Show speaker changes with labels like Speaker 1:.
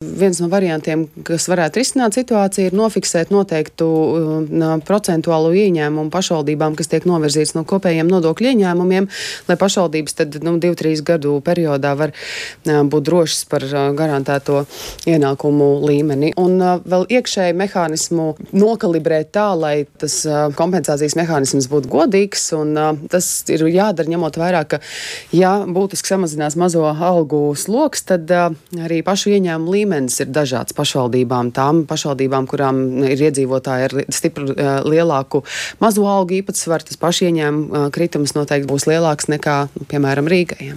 Speaker 1: Viens no variantiem, kas varētu risināt situāciju, ir nofiksēt noteiktu procentuālo ieņēmumu pašvaldībām, kas tiek novirzīts no kopējiem nodokļu ieņēmumiem, lai pašvaldības tad 2-3 gadu periodā var būt drošas par garantēto ienākumu līmeni. Un vēl iekšēji mehānismu nokalibrēt tā, lai tas kompensācijas mehānisms būtu godīgs, un tas ir jādara ņemot vērā, ka ja būtiski samazinās mazo algu sloks, tad arī pašu ieņēmumu līmenis ir dažāds pašvaldībām. Tām pašvaldībām, kurām ir iedzīvotāji ar stipru lielāku mazo algu īpatsvaru, tas pašu ieņēmumu kritums noteikti būs lielāks nekā, piemēram, Rīgai.